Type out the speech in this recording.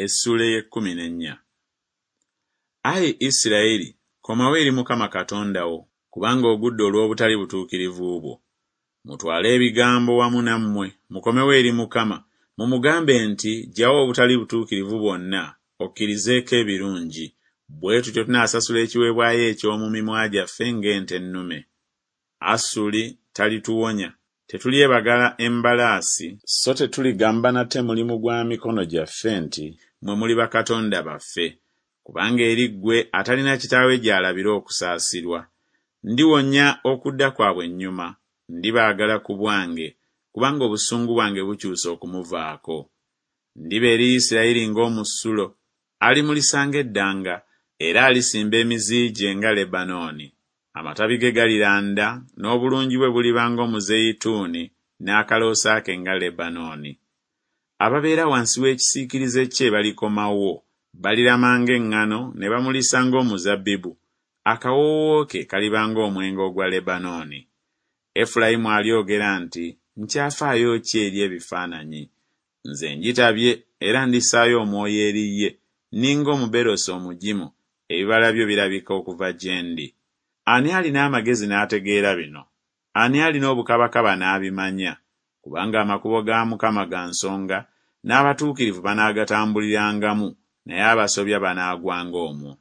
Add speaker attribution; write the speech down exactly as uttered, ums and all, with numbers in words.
Speaker 1: Essuula ey'ekkumi n'ennya. Ayi Isirayiri, komawo eri Mukama Katonda wo, kubanga ogudde olw'obutali butuukirivu bwo. Mutwale ebigambo wamu nammwe, mukomewo eri Mukama, mumugambe nti, Ggyawo obutali butuukirivu bwonna, okkirizeeko ebirungi, bwe tutyo tunaasasula ekiweebwayo eky'omu mimwa gyaffe ng'ente ennume. Asuli talituwonya, tetulyebagala embalaasi, so tetuligamba nate mulimu gwa mikono gyaffe nti Mmwe muli bakatonda baffe, kubanga eri ggwe atalina kitaawe gy'alabira okusaasirwa. Ndiwonya okudda kwabwe ennyuma, ndibaagala ku bwange, kubanga obusungu bwange bukyuse okumuvaako. Ndiba eri Isirayiri ng'omusulo, alimulisa ng'eddanga, era alisimba emizi gye nga Lebanooni. Amatabi ge galiranda, n'obulungi bwe buliba ng'omuzeyituuni, n'akaloosa ke nga Lebanooni. Ababeera wansi w'ekisiikirize kye balikomawo, balirama ng'eŋŋano ne bamulisa ng'omuzabbibu, akawoowo ke kaliba ng'omwenge ogwa Lebanooni. Efulayimu alyogera nti, Nkyafaayo ki eri ebifaananyi? Nze ngitabye era ndissaayo omwoyo eri ye, nninga omuberosi omugimu, ebibala byo birabika okuva gye ndi. Ani alina amagezi n'ategeera bino? Ani alina obukabakaba n'abimanya? Kubanga amakubo ga Mukama ga nsonga, n'abatuukirivu banaagatambulirangamu, naye abasobya banaagwanga omwo.